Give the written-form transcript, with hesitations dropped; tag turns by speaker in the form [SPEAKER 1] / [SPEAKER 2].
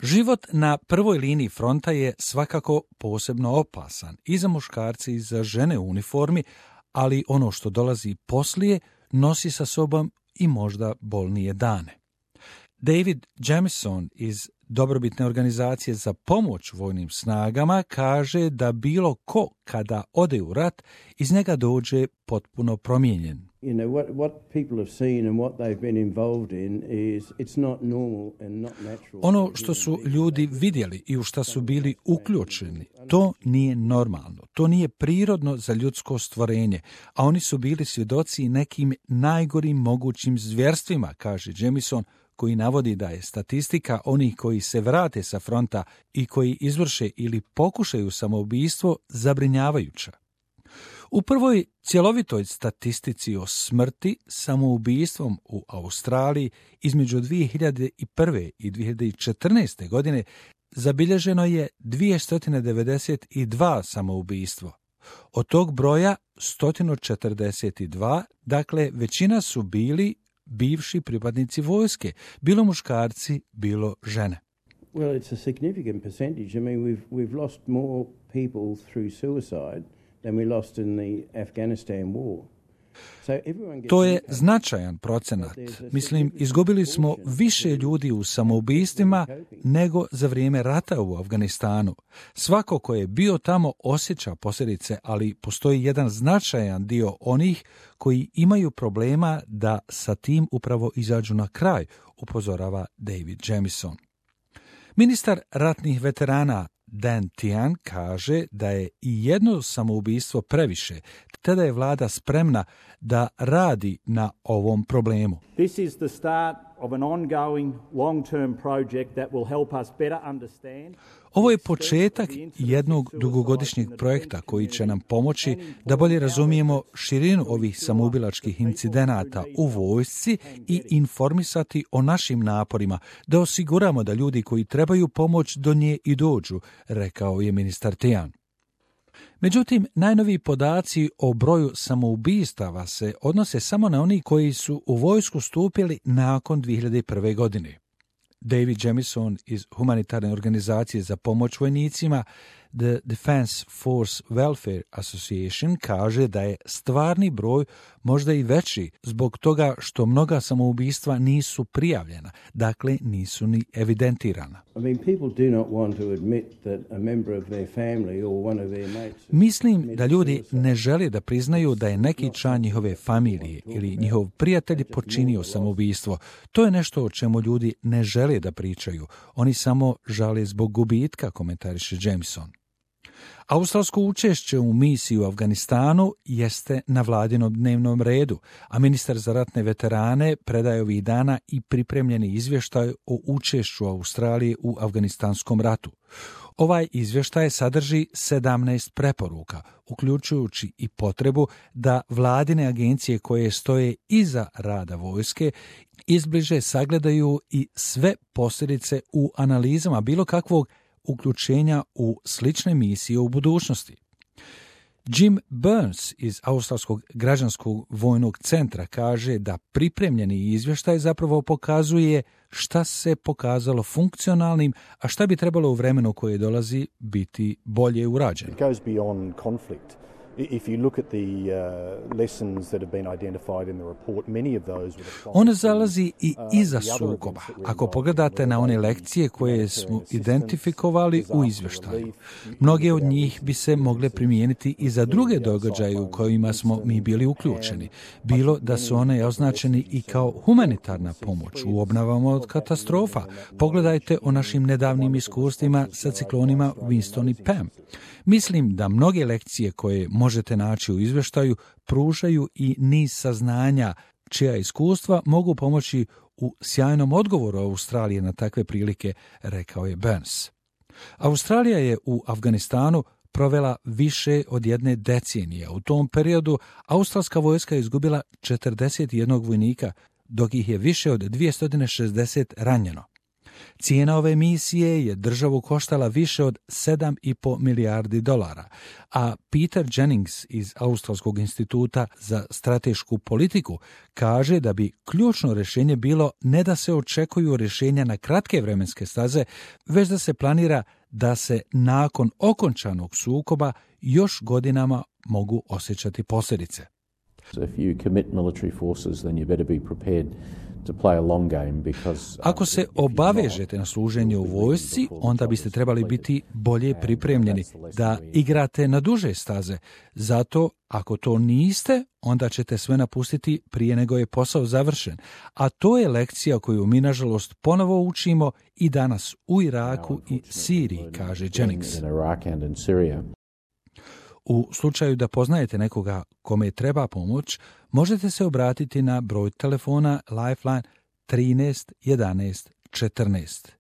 [SPEAKER 1] Život na prvoj liniji fronta je svakako posebno opasan i za muškarce i za žene u uniformi, ali ono što dolazi poslije nosi sa sobom i možda bolnije dane. David Jamison iz dobrobitne organizacije za pomoć vojnim snagama kaže da bilo ko kada ode u rat iz njega dođe potpuno promijenjen. Ono što su ljudi vidjeli i u što su bili uključeni, to nije normalno, to nije prirodno za ljudsko stvorenje, a oni su bili svjedoci nekim najgorim mogućim zvjerstvima, kaže Jamison, koji navodi da je statistika onih koji se vrate sa fronta i koji izvrše ili pokušaju samoubistvo zabrinjavajuća. U prvoj cjelovitoj statistici o smrti samoubistvom u Australiji između 2001. i 2014. godine zabilježeno je 292 samoubistvo. Od tog broja 142, dakle većina su bili bivši pripadnici vojske, bilo muškarci, bilo žene.
[SPEAKER 2] Well, it's a significant percentage. I mean, we've lost more people through suicide than we lost in the Afghanistan war.
[SPEAKER 1] To je značajan procenat. Mislim, izgubili smo više ljudi u samoubistvima nego za vrijeme rata u Afganistanu. Svako ko je bio tamo osjeća posljedice, ali postoji jedan značajan dio onih koji imaju problema da sa tim upravo izađu na kraj, upozorava David Jamison. Ministar ratnih veterana Dan Tehan kaže da je i jedno samoubistvo previše, te da je vlada spremna da radi na ovom problemu.
[SPEAKER 3] This is the start of an ongoing long-term project that will help us better understand.
[SPEAKER 1] Ovo je početak jednog dugogodišnjeg projekta koji će nam pomoći da bolje razumijemo širinu ovih samoubilačkih incidenata u vojsci i informisati o našim naporima, da osiguramo da ljudi koji trebaju pomoć do nje i dođu, rekao je ministar Tehan. Međutim, najnoviji podaci o broju samoubistava se odnose samo na oni koji su u vojsku stupili nakon 2001. godine. David Jamison iz humanitarne organizacije za pomoć vojnicima The Defense Force Welfare Association kaže da je stvarni broj možda i veći zbog toga što mnoga samoubistva nisu prijavljena, dakle nisu ni evidentirana. Mislim da ljudi ne žele da priznaju da je neki član njihove familije ili njihov prijatelj počinio samoubistvo. To je nešto o čemu ljudi ne žele da pričaju. Oni samo žale zbog gubitka, komentariše Jamison. Australsko učešće u misiji u Afganistanu jeste na vladinom dnevnom redu, a ministar za ratne veterane predaje ovih dana i pripremljeni izvještaj o učešću Australije u Afganistanskom ratu. Ovaj izvještaj sadrži 17 preporuka, uključujući i potrebu da vladine agencije koje stoje iza rada vojske izbliže sagledaju i sve posljedice u analizama bilo kakvog uključenja u slične misije u budućnosti. Jim Burns iz Australskog građanskog vojnog centra kaže da pripremljeni izvještaj zapravo pokazuje šta se pokazalo funkcionalnim, a šta bi trebalo u vremenu koje dolazi biti bolje urađeno.
[SPEAKER 4] It goes beyond conflict. If you look at the lessons that have been identified in the report, many of those
[SPEAKER 1] On zalazi i iza sukoba. Ako pogledate na one lekcije koje smo identifikovali u izvještaju, mnoge od njih bi se mogle primijeniti i za druge događaje u kojima smo mi bili uključeni. Bilo da su one označeni i kao humanitarna pomoć u obnovama od katastrofa. Pogledajte o našim nedavnim iskustvima sa ciklonima Winston i Pam. Mislim da mnoge lekcije koje možete naći u izvještaju pružaju i niz saznanja čija iskustva mogu pomoći u sjajnom odgovoru Australije na takve prilike, rekao je Burns. Australija je u Afganistanu provela više od jedne decenije. U tom periodu australska vojska je izgubila 41 vojnika, dok ih je više od 260 ranjeno. Cijena ove misije je državu koštala više od $7,5 milijardi, a Peter Jennings iz Australskog instituta za stratešku politiku kaže da bi ključno rješenje bilo ne da se očekuju rješenja na kratke vremenske staze, već da se planira da se nakon okončanog sukoba još godinama mogu osjećati posljedice. Ako se obavežete na služenje u vojsci, onda biste trebali biti bolje pripremljeni da igrate na duže staze. Zato, ako to niste, onda ćete sve napustiti prije nego je posao završen. A to je lekcija koju mi, nažalost, ponovo učimo i danas u Iraku i Siriji, kaže Jennings. U slučaju da poznajete nekoga kome treba pomoć, možete se obratiti na broj telefona Lifeline 13 11 14.